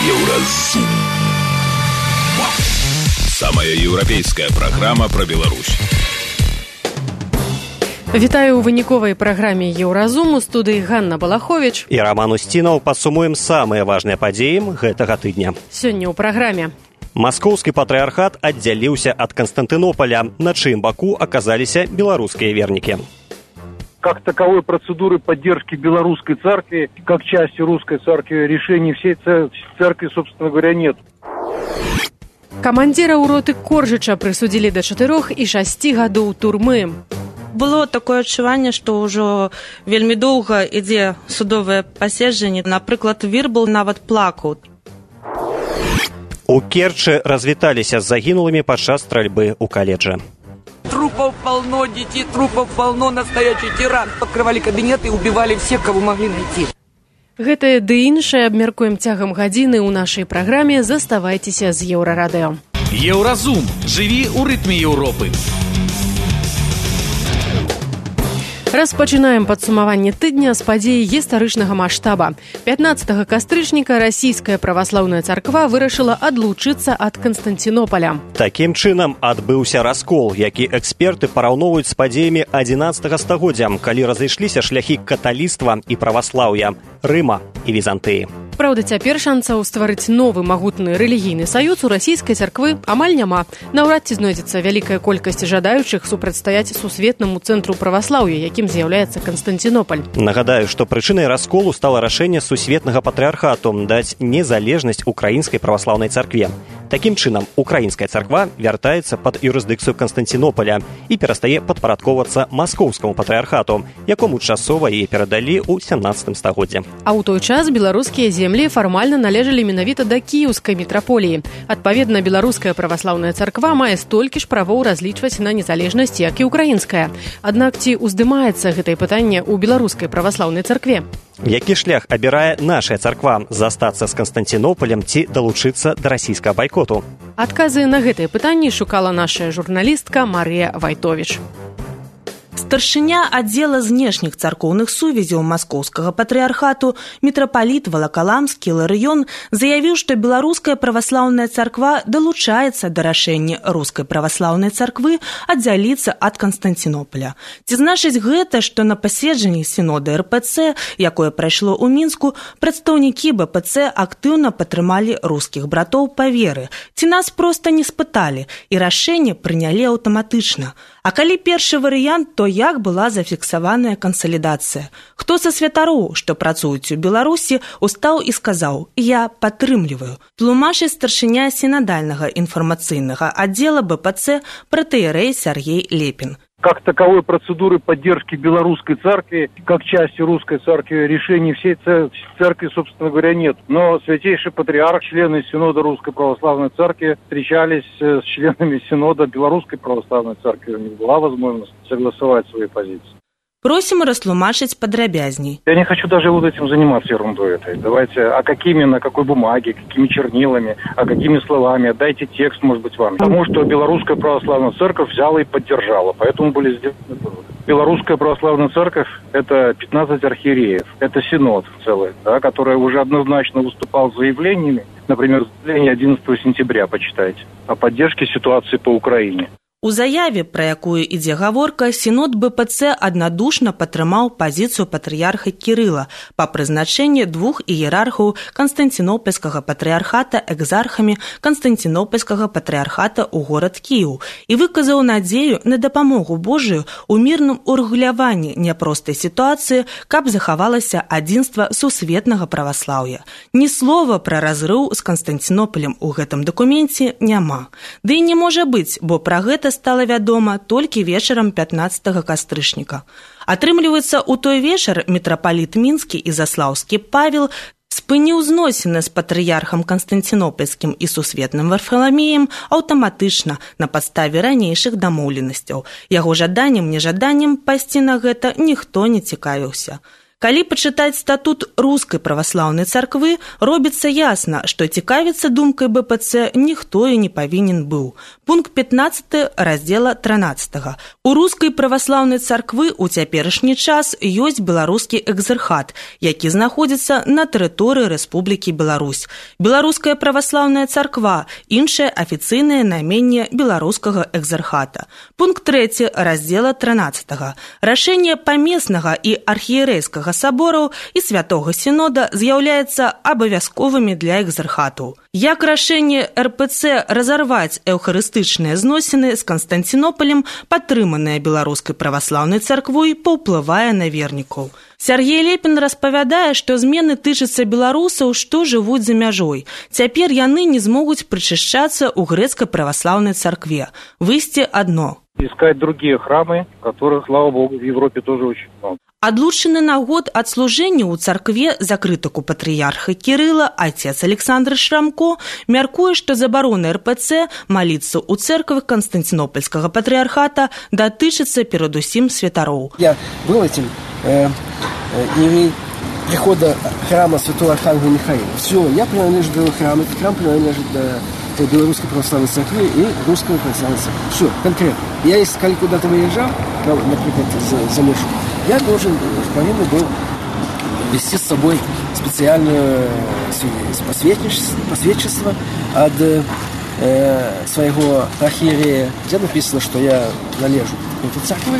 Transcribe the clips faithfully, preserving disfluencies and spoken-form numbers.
Еўразум. Самая еўрапейская праграма пра Беларусь. Вітаю ў выніковай праграме Еўразум. У студыі Ганна Балахович і Роман Устінаў. Падсумуем самыя важныя падзеі гэтага тыдня. Сёння ў праграме. Маскоўскі патрыархат аддзяліўся ад Канстантынополя, на чыім баку аказаліся беларускія вернікі. Как таковой процедуры поддержки белорусской церкви, как части русской церкви, решений всей церкви, собственно говоря, нет. Камандзіра роты Коржыча прысудзілі да чатырох і шасці гадоў турмы. Было такое адчуванне, што ўжо вельмі доўга ідзе судовае паседжанне. Напрыклад, Вірбал нават плакаў. У Керчы развіталіся з загінулымі падчас стральбы ў каледжы. Трупов полно, детей трупов полно, настоящий тиран. Открывали кабинеты и убивали всех, кого могли найти. Гэтае ды іншае абмяркуем цягам гадзіны ў нашай праграме. Заставайцеся з Еўрарадыё. Еўразум. Жыві ў рытме Еўропы. Распачынаем падсумаванне тыдня з падзеі гістарычнага маштаба. пятнаццатага кастрычніка расійская праваслаўная царква вырашыла адлучыцца ад Канстантынополя. Такім чынам адбыўся раскол, які эксперты параўноўваюць з падзеямі адзінаццатага стагоддзя, калі разышліся шляхі каталіцтва і праваслаўя, Рыма і Візантыі. Праўда, цяпер шансаў стварыць новы магутны рэлігійны саюз у расійскай царквы амаль няма. Наўрад ці знойдзецца вялікая колькасць жадаючых супрацьстаяць сусветнаму цэнтру праваслаўя, якім з'яўляецца Канстантынополь. Нагадаю, што прычынай расколу стала рашэнне сусветнага патрыархату даць незалежнасць украінскай праваслаўнай царкве. Такім чынам, украінская царква вяртаецца пад юрысдыкцыю Канстантынополя і перастае падпарадковацца маскоўскаму патрыархату, якому часова яе перадалі ў сямнаццатым стагоддзі. А ў той час беларускія землі фармальна належалі менавіта да кіеўскай мітраполіі. Адпаведна, беларуская праваслаўная царква мае столькі ж правоў разлічваць на незалежнасць, як і украінская. Аднак ці ўздымаецца гэтае пытанне ў беларускай праваслаўнай царкве? Які шлях абірае нашая царква, застацца з Канстантынополем ці далучыцца да расійскага байкоту? Адказы на гэтыя пытанні шукала наша журналістка Марыя Вайтовіч. Старшыня аддзела знешніх царкоўных сувязяў маскоўскага патрыархату мітрапаліт Валакаламскі Іларыён заявіў, што беларуская праваслаўная царква далучаецца да рашэння рускай праваслаўнай царквы аддзяліцца ад Канстантынополя. Ці значыць гэта, што на паседжанні сінода эр пэ цэ, якое прайшло ў Мінску, прадстаўнікі бэ пэ цэ актыўна падтрымалі рускіх братоў па веры? Ці нас проста не спыталі і рашэнне прынялі аўтаматычна? А калі першы варыянт, то як была зафіксаваная кансалідацыя? Хто са святароў, што працуюць у Беларусі, устаў і сказаў: «Я падтрымліваю». Тлумачыць старшыня сінадальнага інфармацыйнага аддзела бэ пэ цэ пратэерэй Сергей Лепін. Как таковой процедуры поддержки белорусской церкви, как части русской церкви, решений всей церкви, собственно говоря, нет. Но святейший патриарх, члены Синода Русской Православной Церкви встречались с членами Синода Белорусской Православной Церкви. У них была возможность согласовать свои позиции. Просим растлумачыць падрабязней. Я не хочу даже вот этим заниматься ерундой этой. Давайте, а какими, на какой бумаге, какими чернилами, а какими словами, дайте текст, может быть, вам. Потому что Белорусская Православная Церковь взяла и поддержала, поэтому были сделаны выводы. Белорусская Православная Церковь – это пятнадцать архиереев, это синод целый, да, который уже однозначно выступал с заявлениями, например, заявление одиннадцатого сентября, почитайте, о поддержке ситуации по Украине. У заяве, пра якую ідзе гаворка, сінод бэ пэ цэ аднадушна падтрымаў пазіцыю патрыярха Кірыла па прызначэнні двух іерархаў Канстантынопольскага патрыярхата экзархамі Канстантынопольскага патрыярхата ў горад Кіеў і выказаў надзею на дапамогу Божую ў мірным урэгуляванні няпростай сітуацыі, каб захавалася адзінства сусветнага праваслаўя. Ні слова пра разрыў з Канстантынополем у гэтым дакуменце няма. Ды і не можа быць, бо пра гэта стала вядома толькі вечарам пятнаццатага кастрычніка. Атрымліваецца, у той вечар мітрапаліт Мінскі і Заслаўскі Павел спыніў зносіны з патрыярхам Канстантынопольскім і сусветным Варфаламеем аўтаматычна на падставе ранейшых дамоўленасцяў. Яго жаданнем-нежаданнем пайсці на гэта ніхто не цікавіўся. Калі пачытаць статут рускай праваслаўнай царквы, робіцца ясна, што цікавіцца думкай бэ пэ цэ ніхто і не павінен быў. Пункт пятнадцаты раздзела трынаццатага. У рускай праваслаўнай царквы ў цяперашні час ёсць беларускі экзархат, які знаходзіцца на тэрыторыі Рэспублікі Беларусь. Беларуская праваслаўная царква, іншае афіцыйнае найменне беларускага экзархата. Пункт трэці раздзела трынаццатага. Рашэнне памеснага і архіерэйскага сабораў і святога сінода з'яўляецца абавязковымі для экзархатаў. Як рашэнне эр пэ цэ разарваць эўхарыстычныя зносіны з Канстанцінопалем, падтрыманыя беларускай праваслаўнай царквой, паўплывае на вернікаў. Сергей Лепін распавядае, што змены тычацца беларусаў, што жывуць за мяжой. Цяпер яны не змогуць прычышчацца ў грэцкай праваслаўнай царкве. Выйсце адно. Искать другие храмы, которых, слава богу, в Европе тоже очень много. Адлучаны на год ад служэння ў царкве за крытыку патрыярха Кірыла отец Александр Шрамко мяркуе, што забарона эр пэ цэ маліцца ў церквы Канстанцінопольскага патрыярхата датычыцца перадусім святароў. Я был этим э, э, прихода храма святого Архангела Михаила. Все, я принадлежу к храму, этот храм принадлежит до Белорусской православной церкви и Русской православной церкви. Все, конкретно. Я, если куда-то выезжал, например, за, за Мишу, я должен, повинен был вести с собой специальное посвідчество от э, своего архиерея, где написано, что я належу к этой церкви,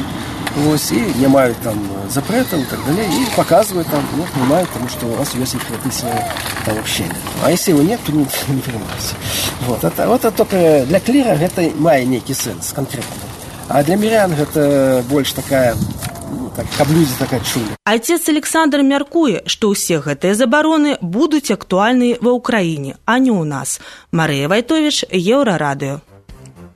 вот, и не маю там запретов и так далее, и показывают там, ну, понимают, потому что у вас есть написано там общение. А если его нет, то не, не принимается. Вот это, вот это только для клира это мае некий сенс конкретно. А для мирян это больше такая, ну, так, каблюзі такая чуля. Отец Александр мяркуе, што ўсе гэтыя забароны будуць актуальны ва ўкраіне, а не ў нас. Марыя Вайтовіч, Еўрарадыё.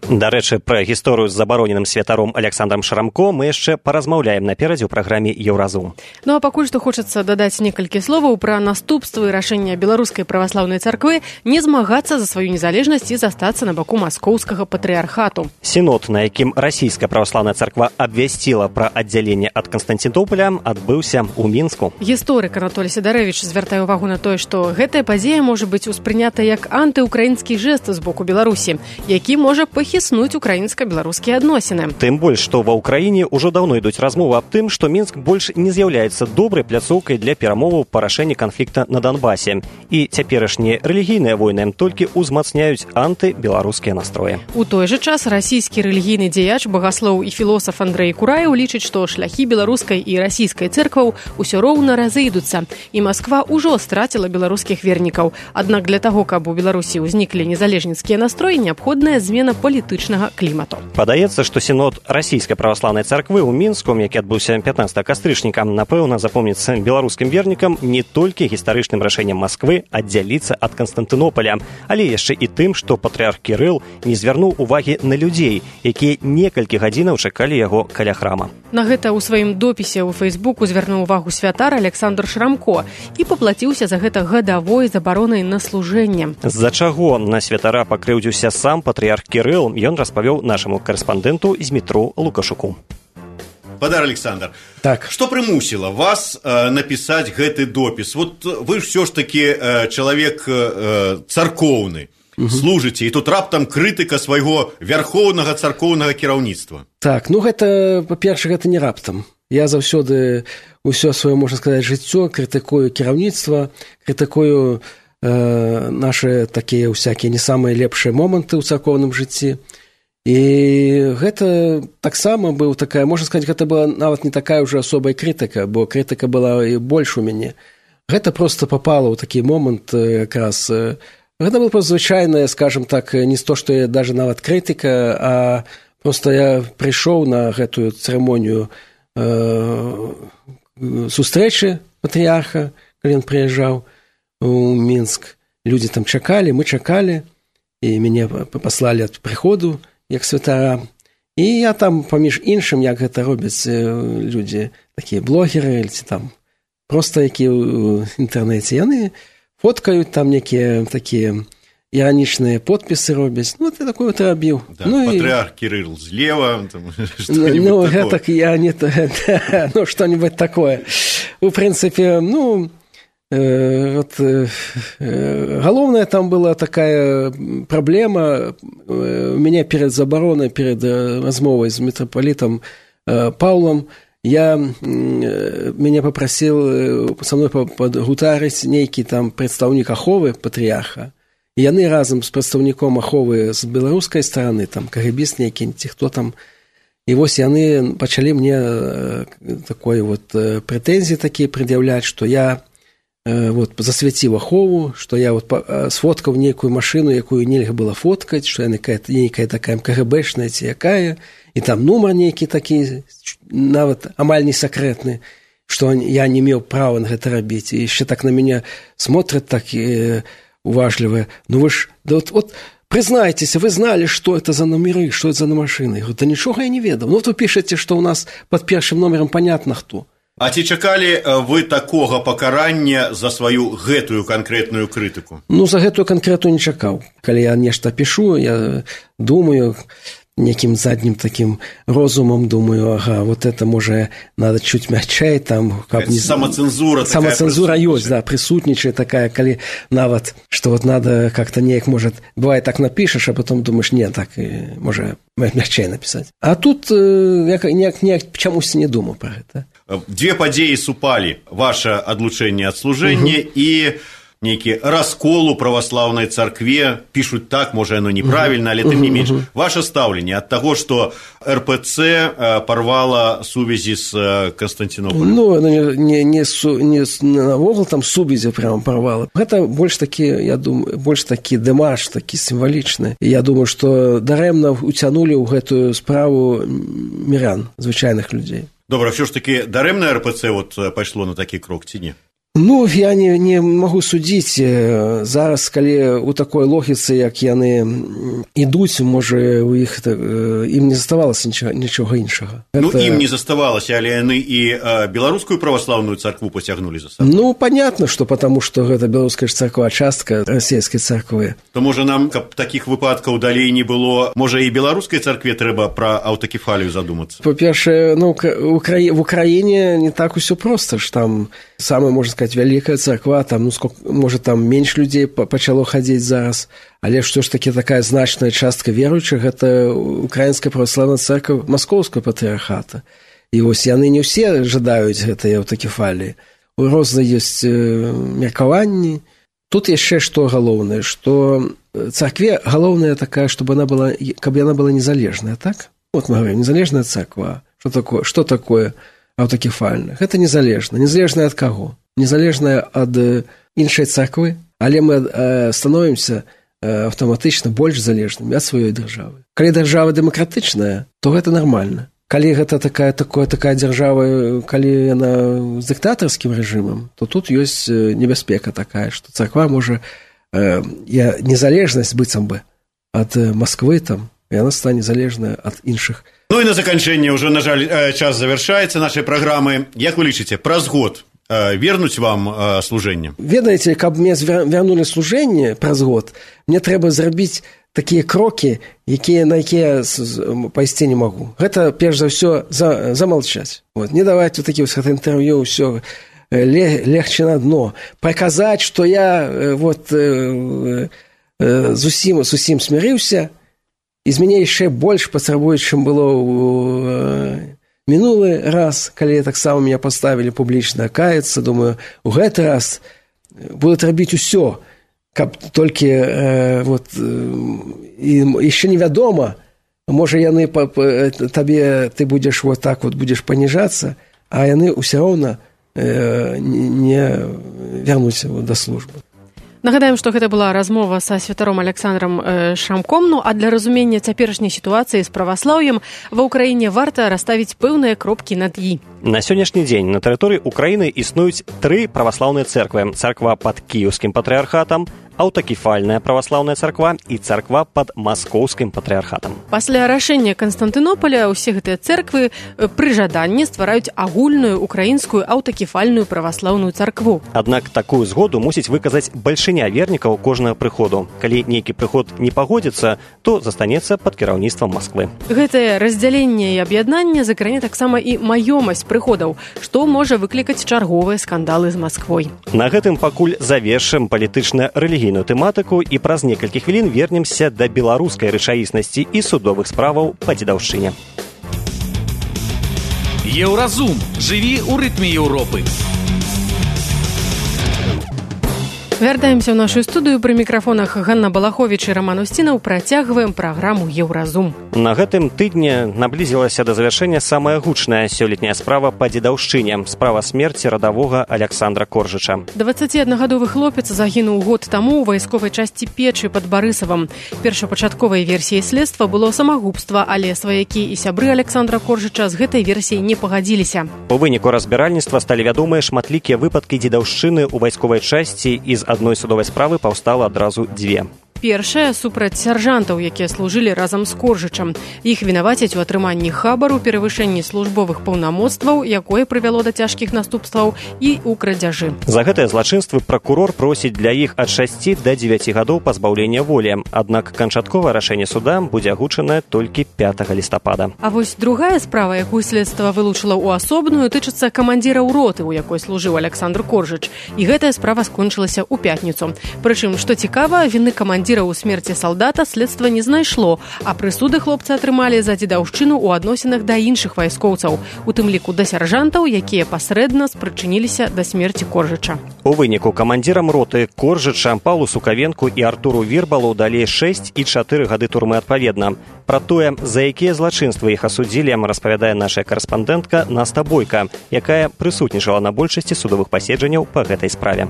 Дарэчы, пра гісторыю з забароненым святаром Александром Шрамко мы яшчэ паразмаўляем наперадзе ў праграме Еўразум. Ну а пакуль што хочацца дадаць некалькі словаў пра наступствы рашэння беларускай праваслаўнай царквы не змагацца за сваю незалежнасць і застацца на баку маскоўскага патрыярхату. Сінод, на якім расійская праваслаўная царква абвясціла пра аддзяленне ад Канстанцінопаля, адбыўся ў Мінску. Гісторык Анатолій Сідарэвіч звяртае ўвагу на тое, што гэтая падзея можа быць успрынята як антыукраінскі жэст з боку Беларусі, які можа пахіснуць украінска-беларускія адносіны. Тым больш, што ва ўкраіне ўжо даўно ідуць размовы аб тым, што Мінск больш не з'яўляецца добрай пляцоўкай для перамоваў па рашэнні канфлікта на Донбасе. І цяперашнія рэлігійныя войны толькі ўзмацняюць антыбеларускія настроі. У той жа час расійскі рэлігійны дзеяч, багаслоў і філосаф Андрэй Кураеў лічыць, што шляхі беларускай і расійскай цэркваў усё роўна разыйдуцца, і Масква ўжо страціла беларускіх вернікаў. Аднак для таго, каб у Беларусі ўзніклі незалежніцкія настроі, неабходная змена палітычнага клімату. Падаецца, што сінод расійскай праваслаўнай царквы ў Мінску, які адбыўся пятнаццатага кастрычніка, напэўна, запомніцца беларускім вернікам не толькі гістарычным рашэннем Масквы аддзяліцца ад Канстантынопаля, але яшчэ і тым, што патрыарх Кірыл не звярнуў увагі на людзей, якія некалькі гадзінаў чакалі яго каля храма. На гэта ў сваім допісе ў Фейсбуку звярнуў увагу святар Александр Шрамко і паплаціўся за гэта гадавой забаронай на служэнне. З-за чаго на святара пакрыўдзіўся сам патрыарх Кірыл, ён распавёў нашаму карэспандэнту Змітру Лукашуку. Падар Александр, так. Што прымусіла вас э, напісаць гэты допіс? Вот вы ўсё ж такі э, чалавек э, царкоўны, угу. Служыце, і тут раптам крытыка свайго вярхоўнага царкоўнага кіраўніцтва. Так, ну гэта, па-першае, гэта не раптам. Я заўсёды ўсё сваё, можна сказаць, жыццё крытыкую кіраўніцтва, крытыкую э, нашы такія ўсякія не самыя лепшыя моманты ў царкоўным жыцці. І гэта таксама быў такая, можна сказаць, гэта была нават не такая ўжо асобая крытыка, бо крытыка была і больш у мяне. Гэта проста попало ў такі момант якраз. Гэта было проста звычайная, скажем так, не то, што я даже нават крытыка, а проста я прыйшоў на гэтую цырымонію э, сустрэчы патрыярха, калі ён прыязджаў у Мінск. Людзі там чакалі, мы чакалі, і мяне паслалі ад прыходу, як святара. І я там, паміж іншым, як гэта робяць людзі, такія блогеры, ці там проста якія ў інтэрнэце, яны фоткаюць там некія такія іранічныя подпісы робяць. Ну, ты такое вот рабіў. Да, ну, патрыарх і... Кирилл злева, там, ну, гэтак я не... ну, што-нибудь такое. У прынцыпе, ну, э, вот, э, галоўная там была такая праблема. У мяне перад забаронай, перад размовай з мітрапалітам э, Паўлам, я, мяне папрасіў са мной падгутарыць нейкі там прадстаўнік аховы патрыярха. І яны разам з прадстаўніком аховы з беларускай стараны, там кагебіст нейкі, ці хто там. І вось яны пачалі мне такой вот прэтэнзіі такія прад'яўляць, што я вот засвяціў ахову, што я вот сфоткаў нейкую машыну, якую нельга было фоткаць, што яна нейкая такая кагэбэшная ці якая, і там нумар нейкі такі, нават амаль не сакрэтны, што я не меў права на гэта рабіць. І яшчэ так на мяне смотрят так уважливые. Ну вы ж, да вот, вот признайтесь, вы знали, что это за номеры, что это за машины? Я говорю, да ничего я не ведал. Ну вот вы пишете, что у нас под первым номером понятно кто. А ці чакалі вы такога пакарання за сваю гэтую канкрэтную крытыку? Ну, за гэтую канкрэтную не чакаў. Калі я нешта пишу, я думаю, неким задним таким розумом думаю, ага, вот это, может, надо чуть мягчай, там... Как не... Самоцензура такая. Самоцензура есть, да, присутничает такая, коли нават, что вот надо как-то неяк, может, бывает так напишешь, а потом думаешь, нет, так, может, мягчай написать. А тут я неяк, неяк чамусь не думал про это. Две падзеі супалі, ваше адлучэнне ад служэння угу. і нейкі раскол у праваслаўнай царкве, пішуць так, можа, яно неправільна, але тым не менш. Ваше стаўленне ад таго, што эр пэ цэ парвала сувязі з Канстантинополем? Ну, не, не, не, не навогул там сувязі прямо парвала. Гэта больш такі, я думаю, больш такі дэмарш, такі сімвалічны. І я думаю, што дарэмна уцянулі ў гэтую справу мірян, звычайных людзей. Добра, все ж таки дарэмна эр пэ цэ вот пайшло на такі крок, ці не? Ну, я не, не могу судзіць. Зараз, калі у такой логіцы, як яны ідуць, можа, у іх ім не заставалася нічога, нічога іншага. Ну, это... ім не заставалася, але яны і беларускую праваслаўную царкву пацягнулі за сабой. Ну, понятно, что потому что гэта беларуская царква частка расійскай царквы. То, можа, нам, каб такіх выпадкаў далей не было, можа, і беларускай царкве трэба пра аўтакефалію задумацца? Па-першае, ну, в Украіне не так усё проста, ж там самая, можна сказаць, вялікая царква, там, ну, сколько, можа, там менш людзей пачало хадзіць зараз, але што ж такі такая значная частка веруючых, гэта украінская праваслаўная царква маскоўскага патрыярхата. І вось яны не ўсе жадаюць гэтай аўтакефаліі. Розныя ёсць меркаванні. Тут яшчэ што галоўнае, што царкве галоўнае такая, чтобы она была, каб яна была незалежная, так? Вот мы говорим, незалежная царква. Што такое? Што такое аўтакефальная? Гэта незалежна. Незалежная ад каго? Незалежная ад іншай царквы, але мы становімся аўтаматычна больш залежнымі ад сваёй дзяржавы. Калі дзяржава дэмакратычная, то гэта нармальна. Калі гэта такая, такая, такая дзяржава, калі яна з дыктатарскім рэжымам, то тут ёсць небяспека такая, што царква можа э, незалежнасць быццам бы ад Масквы там, і яна стане залежная ад іншых. Ну і на заканчэнне ўжо, на жаль, час завяршаецца нашай праграмы. Як вы лічыце, праз год вернуць вам служэнне? Ведаеце, каб мне вярнулі служэнне праз год, мне трэба зрабіць такія крокі, якія, на якія пайсці не магу. Гэта, перш за ўсё, за, замалчаць. Вот. Не даваць вот такі вот інтэрв'ю, ўсё легче на дно. Паказаць, што я вот, зусім, зусім смірыўся, і з мяне яшчэ больш патрабуюць, чым было ў мінулы раз, калі таксама меня паставілі публічна каяцца. Думаю, у гэты раз будуць рабіць усё, каб толькі э, вот, і яшчэ невядома, можа яны па, па, табе, ты будзеш вот так вот будзеш паніжацца, а яны ўсё роўна э, не вярнуць да службы. Нагадаем, што гэта была размова са святаром Александром Шамком, ну а для разумення цяперашняй сітуацыі з праваслаўем ва ўкраіне варта расставіць пэўныя кропкі над «і». На сённяшні дзень на тэрыторыі Украіны існуюць тры праваслаўныя цэрквы: царква пад кіеўскім патрыархатам, аўтакефальная праваслаўная царква і царква пад маскоўскім патрыархатам. Пасля рашэння Канстантынополя ўсе гэтыя цэрквы пры жаданні ствараюць агульную украінскую аўтакефальную праваслаўную царкву. Аднак такую згоду мусіць выказаць бальшыня вернікаў кожнага прыходу. Калі нейкі прыход не пагодзіцца, то застанецца пад кіраўніцтвам Масквы. Гэтае раздзяленне і аб'яднанне закране таксама і маёмасць прыходаў, што можа выклікаць чарговыя скандалы з Масквой. На гэтым пакуль завершым палітычна-рэлігійную тэматыку і праз некалькі хвілін вернемся да беларускай рэчаіснасці і судовых справаў па дзедаўшчыне. Еўразум. Жыві ў рытме Еўропы. Вяртаемся ў нашу студыю. Пры мікрафонах Ганна Балаховіч і Роман Устінаў. Працягваем праграму «Еўразум». На гэтым тыдні наблізілася да завяршэння самая гучная сёлетняя справа па дзедаўшчыне. Справа смерці радавога Аляксандра Коржыча. дваццаціаднагадовы хлопец загінуў год таму ў вайсковай часці Печы пад Барысавам. Першапачатковай версіяй следства было самагубства, але сваякі і сябры Аляксандра Коржыча з гэтай версіяй не пагадзіліся. У выніку разбіральніцтва сталі вядомыя шматлікія выпадкі дзедаўшчыны ў вайсковай часці, і з адной судовай справы паўстала адразу дзве. Першая супраць сяржантаў, якія служылі разам з Коржычам. Іх вінавацяць у атрыманні хабару, перавышэнні службовых паўнамоцтваў, якое прывяло да цяжкіх наступстваў, і ў крадзяжы. За гэтыя злачынствы пракурор просіць для іх ад шасці да дзевяці гадоў пазбаўлення волі. Аднак канчатковае рашэнне суда будзе агучанае толькі пятага лістапада. А вось другая справа, якую следства вылучыла ў асобную, тычыцца камандзіра роты, у якой служыў Аляксандр Коржыч. І гэтая справа скончылася ў пятніцу. Прычым, што цікава, віны камандзіра у смерці салдата следства не знайшло, а прысуды хлопцы атрымалі за дзедаўшчыну ў адносінах да іншых вайскоўцаў, у тым ліку да сяржантаў, якія пасрэдна спрычыніліся да смерці Коржыча. У выніку камандзірам роты Коржыча, Паўлу Сукавенку і Артуру Вірбалу далі шэсць і чатыры гады турмы адпаведна. Пра тое, за якія злачынствы іх асудзілі, распавядае наша карэспандэнтка Наста Бойка, якая прысутнічала на большасці судовых паседжанняў па гэтай справе.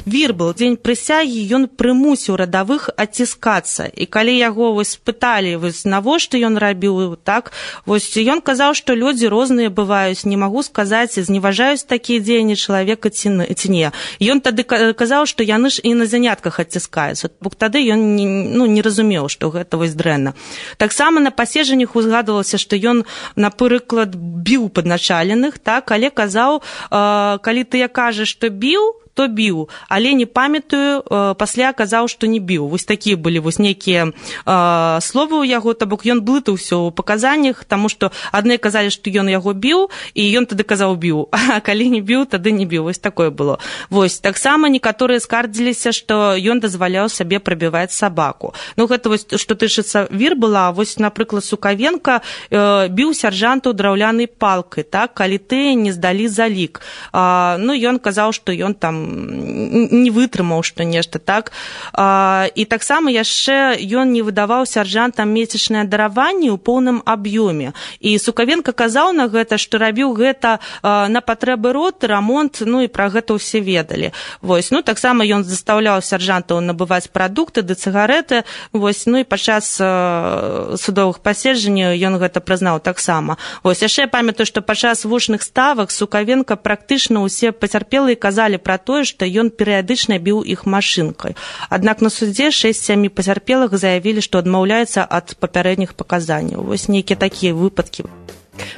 Вірбал, дзень прысягі, ён прымусіў радавых адціскацца. І калі яго вось спыталі, вось навошта ён рабіў так, вось ён казаў, што людзі розныя бываюць, не магу сказаць, зневажаюць такія дзеянні чалавека ці не. Ён тады казаў, што яны ж і на занятках адціскаюцца. Бо тады ён не, ну, не разумеў, што гэта вось дрэнна. Таксама на паседжаннях узгадвалася, што ён, напрыклад, біў падначаленых, так, але казаў, э, калі ты я кажаш, што біў, то біў, але не памятаю, э, пасля казаў, што не біў. Вось такія былі вось нейкія э, словы ў яго, то бок ён блытаўся ў паказаннях, таму што адны казалі, што ён яго біў, і ён тады казаў біў, а калі не біў, тады не біў. Вось такое было. Вось таксама некаторыя скардзіліся, што ён дазваляў сабе прабіваць сабаку. Ну гэта вось што тычыцца Вірбала, вось напрыклад Сукавенка э, біў сяржантаў драўлянай палкай, так, калі ты не здалі залік. Э, ну ён казаў, што ён там не вытрымаў, што нешта так. І таксама яшчэ ён не выдаваў сяржантам месячнае дараванне ў поўным аб'ёме. І Сукавенка казаў на гэта, што рабіў гэта на патрэбы роты, рамонт, ну і пра гэта ўсе ведалі. Вось, ну таксама ён застаўляў сяржантаў набываць прадукты ды цыгарэты, вось, ну і падчас судовых паседжанняў ён гэта прызнаў таксама. Вось, яшчэ я памятаю, што падчас вушных ставак Сукавенка практычна ўсе пацярпелыя казалі пра тое, што ён перыядычна біў іх машынкай. Аднак на судзе шэсць-сямі пацярпелых заявілі, што адмаўляюцца ад папярэдніх паказанняў. Вось нейкія такія выпадкі.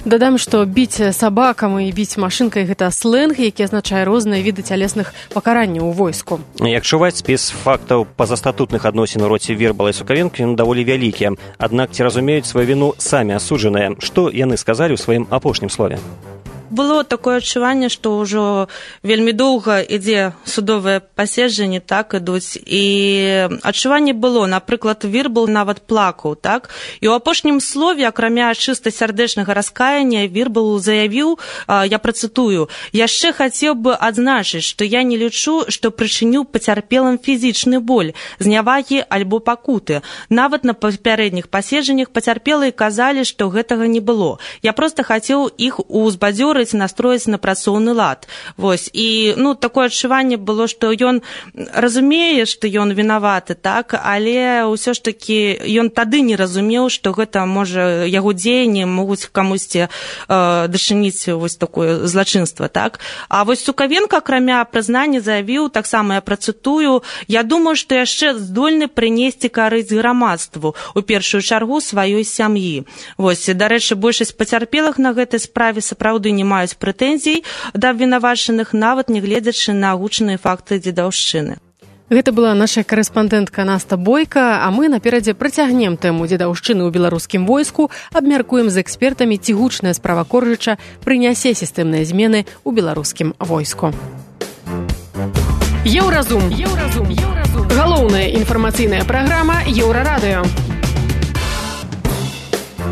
Дадам, што біць сабакам і біць машынкай – гэта сленг, які азначае розныя віды цялесных пакаранняў у войску. Як чуваць, спіс фактаў пазастатутных адносін у роце Вірбала і Сукавенкі даволі вялікія. Аднак ці разумеюць сваю віну самі асуджаныя? Што яны сказалі ў сваім апошнім слове? Было такое адчуванне, што ўжо вельмі доўга ідзе судовае паседжанне, так, ідуць. І адчуванне было, напрыклад, Вірбал нават плакаў, так. І ў апошнім слове, акрамя чыста сардэчнага раскаяння, Вірбал заявіў, я працытую, яшчэ хацеў бы адзначыць, што я не лічу, што прычыніў пацярпелым фізічны боль, знявагі альбо пакуты. Нават на папярэдніх паседжаннях пацярпелыя казалі, што гэтага не было. Я проста хацеў іх узбадзёрыць адборыць, настроіць на працоўны лад. Вось. І, ну, такое адчуванне было, што ён разумее, што ён вінаваты, так, але ўсё ж такі ён тады не разумеў, што гэта, можа, яго дзеянні могуць камусьці э, дачыніць вось такое злачынства, так. А вось Сукавенко, акрамя прызнання, заявіў, таксама я працытую, я думаю, што яшчэ здольны прынесці карысць грамадству, у першую чаргу сваёй сям'і. Вось, дарэчы, большасць пацярпелых на гэтай справе сапраўды не маюць прэтэнзій да абвінавачаных, нават не гледзячы на агучаныя факты дзедаўшчыны. Гэта была наша карэспандэнтка Наста Бойка, а мы наперадзе працягнем тэму дзедаўшчыны ў беларускім войску, абмяркуем з экспертамі, ці гучная справа Коржыча прынясе сістэмныя змены ў беларускім войску. Еўразум. Еўразум. Еўразум. Галоўная інфармацыйная праграма Еўрарадыё.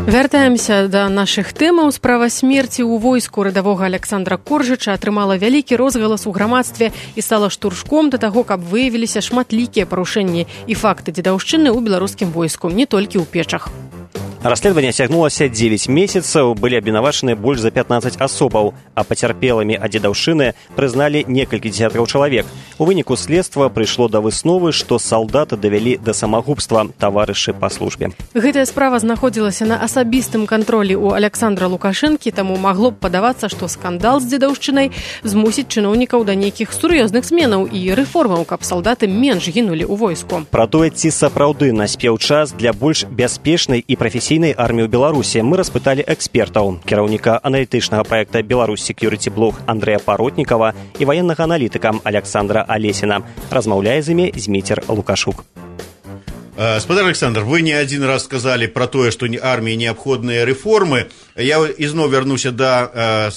Вяртаемся да нашых тэмаў. Справа смерці ў войску радавога Аляксандра Коржыча атрымала вялікі розгалас у грамадстве і стала штуршком да таго, каб выявіліся шматлікія парушэнні і факты дзедаўшчыны ў беларускім войску, не толькі ў печах. Расследаванне цягнулася дзевяць месяцаў, былі абвінавачаны больш за пятнаццаць асобаў, а пацярпелымі ад дзедаўшчыны прызналі некалькі дзесяткаў чалавек. У выніку следства прыйшло да высновы, што салдата давялі да самагубства таварышы па службе. Гэтая справа знаходзілася на асабістым кантролі ў Аляксандра Лукашэнкі, таму магло б падавацца, што скандал з дзедаўшчынай змусіць чыноўнікаў да нейкіх сур'ёзных зменаў і рэформаў, каб салдаты менш гінулі ў войску. Пра тое, ці сапраўды наспеў час для больш бяспечнай і прафесійнай арміі ў Беларусі, мы распыталі экспертаў, кіраўніка аналітычнага праекта «Беларусь Security Blog» Андрэя Паротнікава і ваеннага аналітыка Александра Алесіна. Размаўляе з імі Зміцер Лукашук. Спадар Александр, вы не один раз сказали про то, что армии необходимые реформы. Я изноў вярнуся до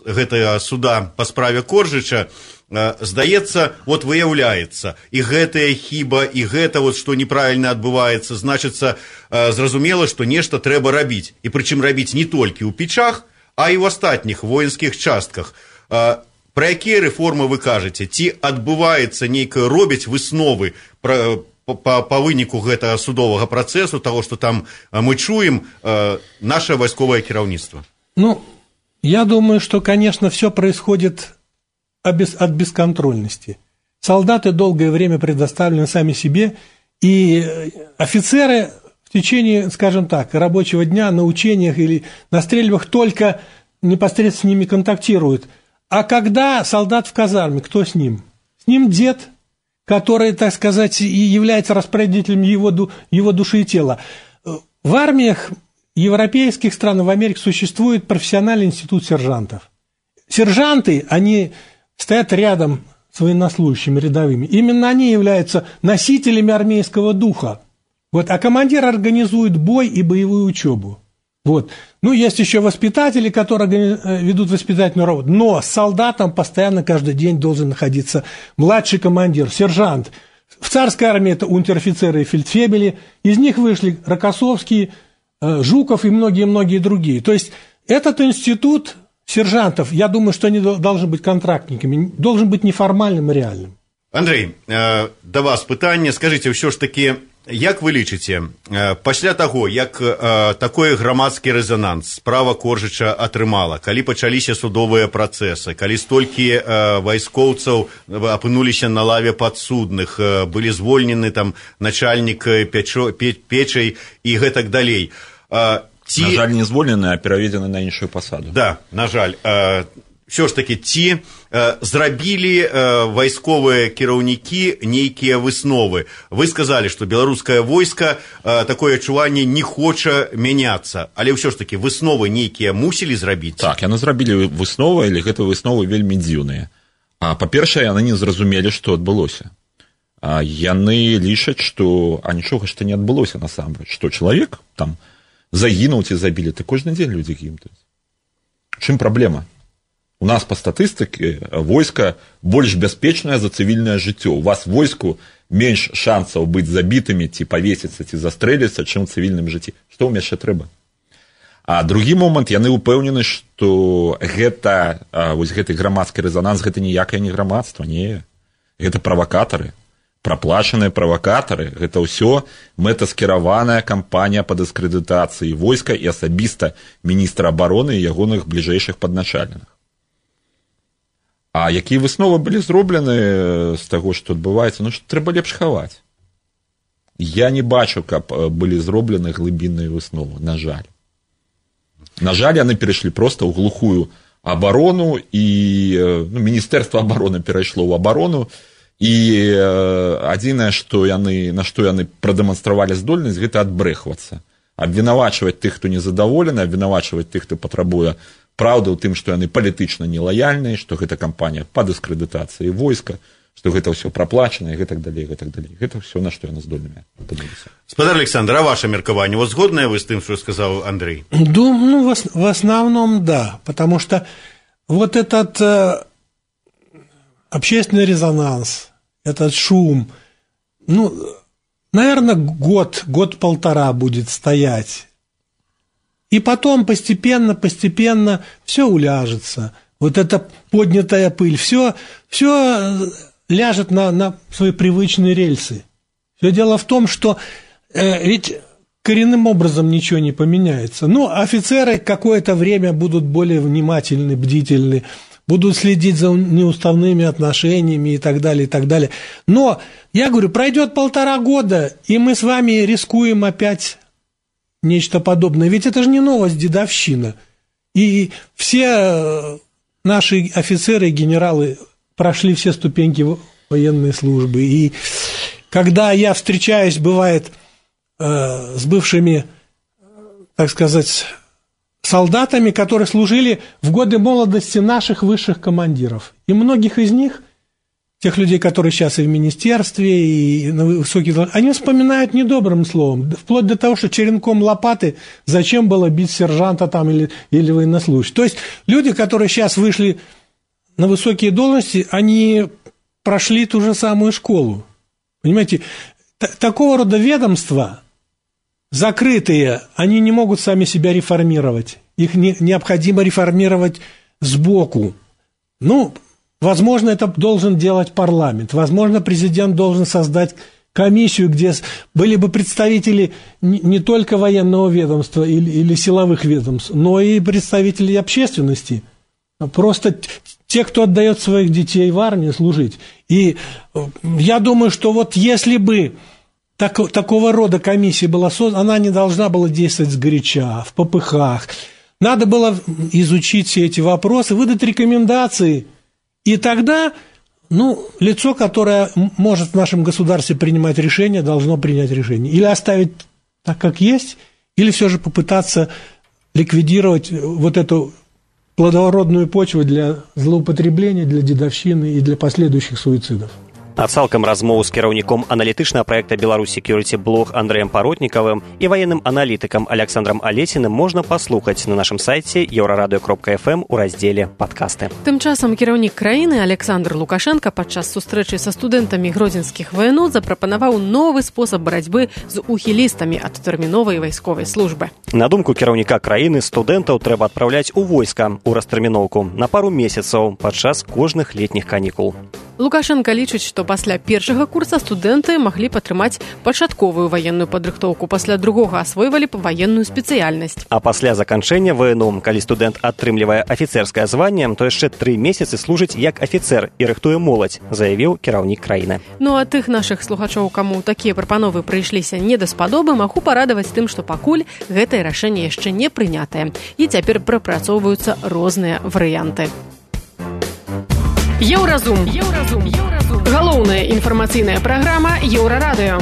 гэтага суда по справе Коржыча. Здаецца, вот выяўляецца, і гэтая хіба, і гэта вот, што неправільна адбываецца, значыцца, зразумела, што нешта трэба рабіць. І прычым рабіць не толькі ў печах, а і ў астатніх воінскіх частках. Пра якія рэформы вы кажаце? Ці адбываецца нейкае, робяць высновы пра По, по выніку гэтага судовага працэсу, того, што там мы чуем, наше вайсковае кіраўніцтва? Ну, я думаю, что, конечно, все происходит от бесконтрольности. Солдаты долгое время предоставлены сами себе, и офицеры в течение, скажем так, рабочего дня на учениях или на стрельбах только непосредственно с ними контактируют. А когда солдат в казарме, кто с ним? С ним дед, который, так сказать, и является распорядителем его, его души и тела. В армиях европейских стран, в Америке существует профессиональный институт сержантов. Сержанты, они стоят рядом с военнослужащими рядовыми. Именно они являются носителями армейского духа. Вот, а командир организует бой и боевую учебу. Вот. Ну, есть еще воспитатели, которые ведут воспитательную работу. Но с солдатом постоянно каждый день должен находиться младший командир, сержант. В царской армии это унтер-офицеры и фельдфебели. Из них вышли Рокоссовский, Жуков и многие-многие другие. То есть этот институт сержантов, я думаю, что они должны быть контрактниками, должен быть неформальным и реальным. Андрей, до вас питання. Скажите, все ж таки, як вы лічыце, пасля таго, як такой грамадскі рэзананс справа Коржыча атрымала, калі пачаліся судовыя працэсы, калі столькі вайскоўцаў апынуліся на лаве падсудных, былі звольнены там начальнік печай і гэтак далей. Ці... На жаль, не звольнены, а пераведзены на іншую пасаду. Да, на жаль. Все ж таки, ці зрабілі вайсковыя кіраўнікі нейкія высновы. Вы сказали, что беларускае войска такое адчуванне не хоча мяняцца, але ўсё ж таки высновы нейкія мусілі зрабіць? Так, яны зрабілі высновы, але гэта высновы вельмі дзіўныя. Па-першае, яны не зразумелі, што адбылося. Яны лічаць, што а нічога што не адбылося насамрэч, што чалавек там загінуў ці забілі, ты кожны дзень людзі гінуць. Чым праблема? У нас по статыстыке войска больш бяспечнае за цывільнае жыццё. У вас войску менш шансаў быць забітымі, ці павесіцца, ці застрэліцца, чым у цывільным жыцці. Што ў яшчэ трэба? А другі момант, яны ўпэўнены, што гэта, вось гэты грамадскі рэзананс, гэта ніякае не грамадства, не. Гэта правакатары. праплачаныя правакатары, гэта ўсё мэтаскіраваная кампанія па дыскрэдытацыі войска і асабіста міністра абароны і ягоных бліжэйшых падначаленых. А якія высновы былі зроблены з таго, што адбываецца? Ну, што трэба лепш хаваць. Я не бачу, каб былі зроблены глыбінныя высновы, на жаль. На жаль, яны перайшлі проста ў глухую абарону, і ну, міністэрства абароны перайшло ў абарону, і адзінае, што яны, на што яны прадэманстравалі здольнасць, гэта адбрэхвацца. Абвінавачваць тых, хто незадаволены, абвінавачваць тых, хто патрабуе праўды ў тым, што яны палітычна нелаяльныя, што гэта кампанія па дыскрэдытацыі войска, што гэта ўсё праплачана, і гэтак далей, гэтак далей. Гэта ўсё, на што яны здольныя. Спадар Александр, а ваше меркаванне? Вот згоднае вы з тым, што сказаў Андрей? Думаю, ну, в основном, да, потому что вот этот э, общественный резонанс, этот шум, ну, наверное, год, год-полтора будет стоять. И потом постепенно, постепенно все уляжется. Вот эта поднятая пыль, все, все ляжет на, на свои привычные рельсы. Все дело в том, что э, ведь коренным образом ничего не поменяется. Ну, офицеры какое-то время будут более внимательны, бдительны, будут следить за неуставными отношениями и так далее, и так далее. Но, я говорю, пройдет полтора года, и мы с вами рискуем опять нечто подобное. Ведь это же не новость, дедовщина. И все наши офицеры и генералы прошли все ступеньки военной службы. И когда я встречаюсь, бывает, э, с бывшими, так сказать, солдатами, которые служили в годы молодости наших высших командиров. И многих из них, тех людей, которые сейчас и в министерстве, и на высоких должностях, они вспоминают недобрым словом, вплоть до того, что черенком лопаты зачем было бить сержанта там или, или военнослужащего. То есть люди, которые сейчас вышли на высокие должности, они прошли ту же самую школу. Понимаете, т- такого рода ведомства закрытые, они не могут сами себя реформировать. Их не, необходимо реформировать сбоку. Ну, возможно, это должен делать парламент. Возможно, президент должен создать комиссию, где были бы представители не, не только военного ведомства или, или силовых ведомств, но и представители общественности. Просто те, кто отдает своих детей в армию служить. И я думаю, что вот если бы Так, такого рода комиссия была создана, она не должна была действовать сгоряча, в попыхах. Надо было изучить все эти вопросы, выдать рекомендации, и тогда, ну, лицо, которое может в нашем государстве принимать решения, должно принять решение. Или оставить так, как есть, или все же попытаться ликвидировать вот эту плодородную почву для злоупотребления, для дедовщины и для последующих суицидов. А цалкам размову з кіраўніком аналітычнага праекта Беларусь Security Blog Андрэем Паротнікавым і ваенным аналітыкам Александром Алесіным можна паслухаць на нашым сайце еўрарадыё кропка эф эм у раздзеле «Падкасты». Тым часам кіраўнік краіны Александр Лукашенко падчас сустрэчы са студэнтамі гродзенскіх ваенот запрапанаваў новы спосаб барацьбы з ухілістамі ад тэрміновай вайсковай службы. На думку кіраўніка краіны, студэнтаў трэба адпраўляць у войска ў растэрміноўку на пару месяцаў падчас кожных летніх канікул. Лукашенко лічыць, што пасля першага курса студэнты маглі падтрымаць пачатковую ваенную падрыхтоўку, пасля другога асвойвалі б ваенную спецыяльнасць. А пасля заканчэння ВНУ, калі студэнт атрымлівае афіцэрскае званне, то яшчэ тры месяцы служыць як афіцэр і рыхтуе моладзь, заявіў кіраўнік краіны. Ну а тых нашых слухачоў, каму такія прапановы прыйшліся не даспадобы, магу парадаваць тым, што пакуль гэтае рашэнне яшчэ не прынятае. І цяпер прапрацоўваюцца розныя варыянты. Еўразум. Еўразум. Еўразум. Галоўная інфармацыйная праграма Еўрарадыё.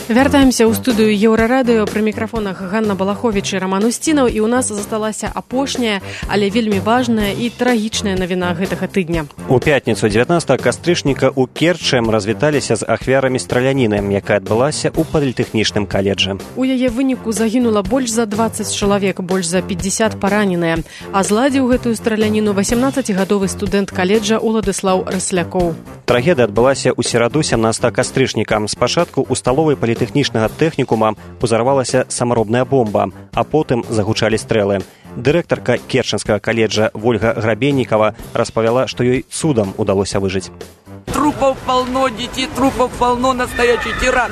Вяртаемся ў студыю Еўрарадыё, пры мікрафонах Ганна Балаховіч і Роман Устінаў, і ў нас засталася апошняя, але вельмі важная і трагічная навіна гэтага тыдня. У пятніцу дзевятнаццатага кастрычніка ў Керчы развіталіся з ахвярамі страляніны, якая адбылася ў політэхнічным каледжы. У яе выніку загінула больш за дваццаць чалавек, больш за пятьдесят параненыя, а зладзіў гэтую страляніну васемнаццацігадовы студэнт каледжа Уладыслаў Раслякоў. Трагедыя адбылася ў сераду сямнаццатага кастрычніка. Спачатку ў сталовай політэхнічнага тэхнікума узарвалася самаробная бомба, а потым загучалі стрэлы. Дырэктарка Керченскага каледжа Вольга Грабенникова распавяла, што ёй цудам удалося выжыць. Трупов полно, детей трупов полно, настоящий тиран.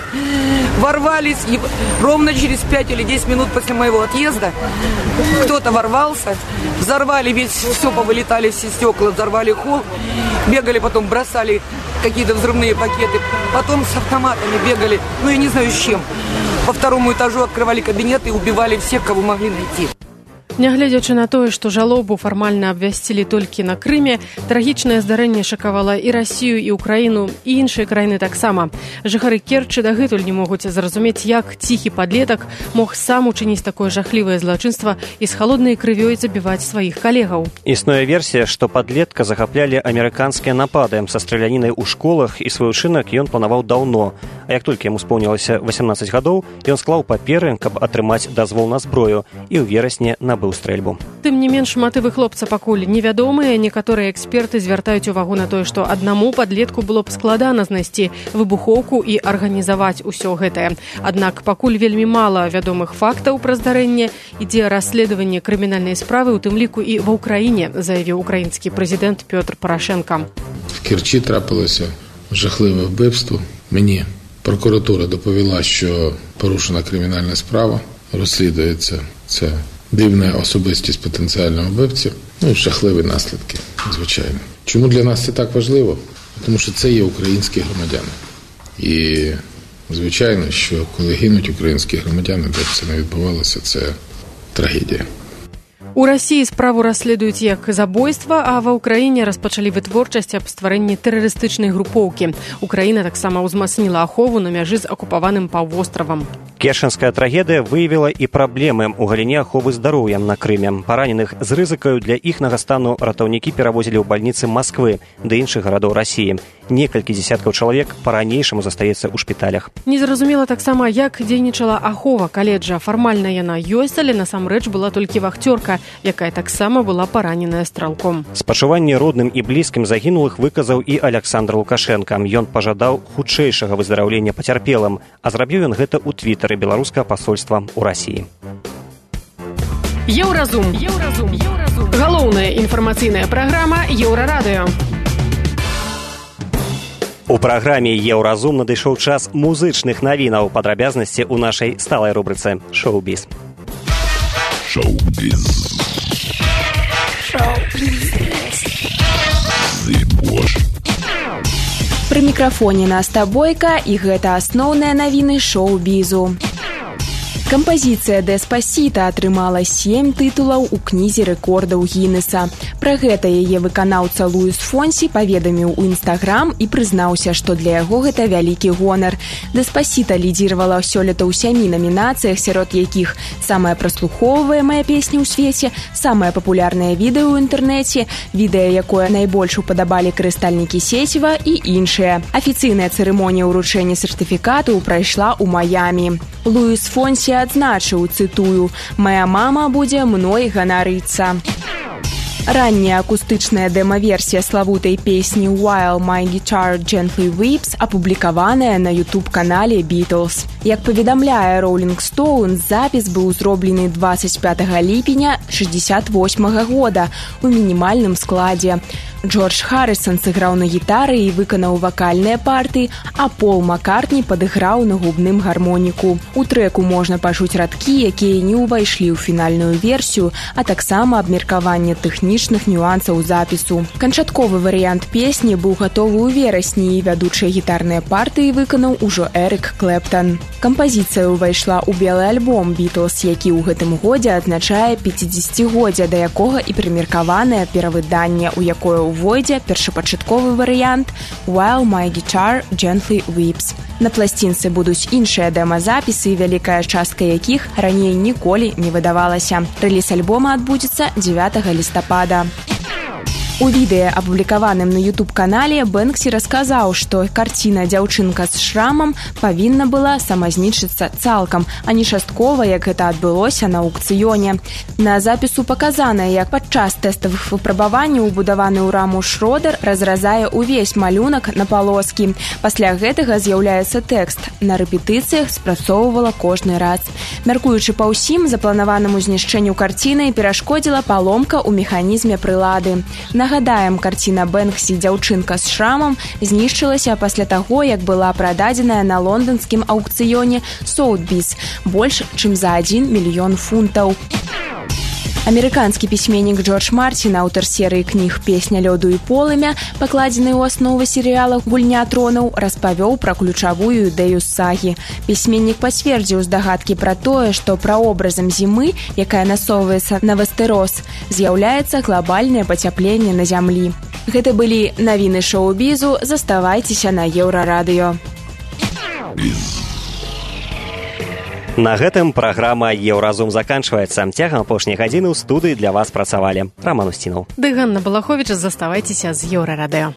Ворвались, и ровно через пять или десять минут после моего отъезда кто-то ворвался, взорвали весь, все повылетали, все стекла, взорвали холл, бегали, потом бросали какие-то взрывные пакеты, потом с автоматами бегали, ну я не знаю с чем. По второму этажу открывали кабинеты и убивали всех, кого могли найти. Нягледзячы на тое, што жалобу фармальна абвясцілі толькі на Крыме, трагічнае здарэнне шакавала і Расію, і Украіну, і іншыя краіны таксама. Жыхары Керчы дагэтуль не могуць зразумець, як ціхі падлетак мог сам учыніць такое жахлівае злачынства і з халоднай крывёй забіваць сваіх калегаў. Існуе версія, што падлетка захаплялі амерыканскія напады са стралянінай у школах, і свой учынак ён планаваў даўно. А як толькі яму споўнілася васямнаццаць гадоў, ён склаў паперы, каб атрымаць дазвол на зброю, і ў верасні набыў стрэльбу. Тым не менш, матывы хлопца пакуль невядомыя. Некаторыя эксперты звяртаюць увагу на тое, што аднаму падлетку было б складана знайсці выбухоўку і арганізаваць усё гэтае. Аднак пакуль вельмі мала вядомых фактаў пра здарэнне, ідзе расследаванне крымінальнай справы, у тым ліку і ва ўкраіне, заявіў украінскі прэзідэнт Пётр Парашенка. В Керчі трапилося жахливе вбивство. Мені прокуратура доповіла, що порушена кримінальна справа, розслідується це дивна особистість потенціального вбивці, ну і жахливі наслідки, звичайно. Чому для нас це так важливо? Тому що це є українські громадяни. І, звичайно, що коли гинуть українські громадяни, де б це не відбувалося, це трагедія. У Расіі справу расследуюць як забойства, а ва ўкраіне распачалі вытворчасць аб стварэнні тэрарыстычнай групоўкі. Украіна таксама ўзмацніла ахову на мяжы з акупаваным паўвостравам. Керченская трагедыя выявіла і праблемы ў галіне аховы здароўя на Крыме. Параненых з рызыкаю для іхнага стану ратаўнікі перавозілі ў бальніцы Масквы ды іншых гарадоў Расіі. Некалькі дзесяткаў чалавек па-ранейшаму застаецца ў шпіталях. Незразумела таксама, як дзейнічала ахова каледжа. Фармальна яна ёсць, але насамрэч была толькі вахцёрка, якая таксама была параненая стралком. Спачуванне родным і блізкім загінулых выказаў і Александр Лукашенко. Ён пажадаў хутчэйшага выздараўлення пацярпелым, а зрабіў ён гэта ў твітары беларускага пасольства ў Расіі. Еўразум. Еўразум. Еўразум. Галоўная інфармацыйная праграма Еўрарадыё. У праграме «Еўразум» надышоў час музычных навінаў, падрабязнасці ў нашай сталай рубрыцы «Шоу-біз». Шоу-біз. Шоу-біз. Пры мікрафоне Наста Бойка, і гэта асноўныя навіны шоу-бізу. Кампазіцыя «Деспасіта» атрымала сем тытулаў у кнізе рэкордаў Гіннеса. Пра гэта яе выканаўца Луіс Фонсі паведаміў у Інстаграм і прызнаўся, што для яго гэта вялікі гонар. «Деспасіта» лідзіравала сёлета ў сямі намінацыях, сярод якіх самая праслухоўваемая песня ў свеце, самае папулярнае відэо ў інтэрнэце, відэа, якое найбольш упадабалі карыстальнікі сеціва і іншыя. Афіцыйная цырымонія ўручэння сертыфікату прайшла ў Маямі. Луіс Фонсі адзначыў, цытую, «Мая мама будзе мной ганарыцца». Ранняя акустычная дэма-версія славутай песні «While My Guitar Gently Weeps» апублікаваная на ютуб-канале «Beatles». Як паведамляе Rolling Stone, запіс быў зроблены дваццаць пятага ліпеня шэсцьдзесят восьмага года у мінімальным складзе. Джордж Харрысон сыграў на гітары і выканаў вакальныя партыі, а Пол Маккартні падыграў на губным гармоніку. У трэку можна пачуць радкі, якія не ўвайшлі ў фінальную версію, а таксама абмеркаванне тэхнічных нюансаў запісу. Канчатковы варыянт песні быў гатовы ў верасні, і вядучыя гітарныя партыі выканаў ужо Эрык Клэптан. Кампазіцыя ўвайшла ў белы альбом «Beatles», які ў гэтым годзе адзначае пяцідзесяцігоддзе, да якога і прымеркаванае перавыданне, у якое увойдзе першапачатковы варыянт «While My Guitar Gently Weeps». На пласцінцы будуць іншыя дэма-запісы, вялікая частка якіх раней ніколі не выдавалася. Рэліз альбома адбудзецца дзевятага лістапада. У відэа, апублікаваным на ютуб-канале, Бэнксі расказаў, што карціна «Дзяўчынка з шрамам» павінна была самазнішчыцца цалкам, а не часткова, як гэта адбылося на аукцыёне. На запісу паказана, як падчас тэставых выпрабаванняў убудаваны ў раму шродар разразае ўвесь малюнак на палоскі. Пасля гэтага з'яўляецца тэкст. На рэпетыцыях спрацоўвала кожны раз. Мяркуючы па ўсім, запланаванаму знішчэнню карціны перашкодзіла паломка ў механізме прылады. Нагадаем, карціна Бэнксі «Дзяўчынка з шрамам» знішчылася пасля таго, як была прададзеная на лонданскім аукцыёне Соутбіс больш, чым за адзін мільён фунтаў. Амерыканскі пісьменнік Джордж Мартін, аўтар серыі кніг «Песня лёду і полымя», пакладзенай у аснову серыяла «Гульня тронаў», распавёў пра ключавую ідэю сагі. Пісьменнік пацвердзіў здагадкі пра тое, што праобразам зімы, якая насоўваецца на вестерос, з'яўляецца глобальнае пацяпленне на зямлі. Гэта былі навіны шоу-бізу. Заставайцеся на Еўрарадыё. На гэтым праграма «Еўразум» заканчваецца. Цягам апошняй гадзіны ў студыі для вас працавалі Раман Устінаў. Ды Ганна Балаховіч, заставайцеся з Еўрарадыё.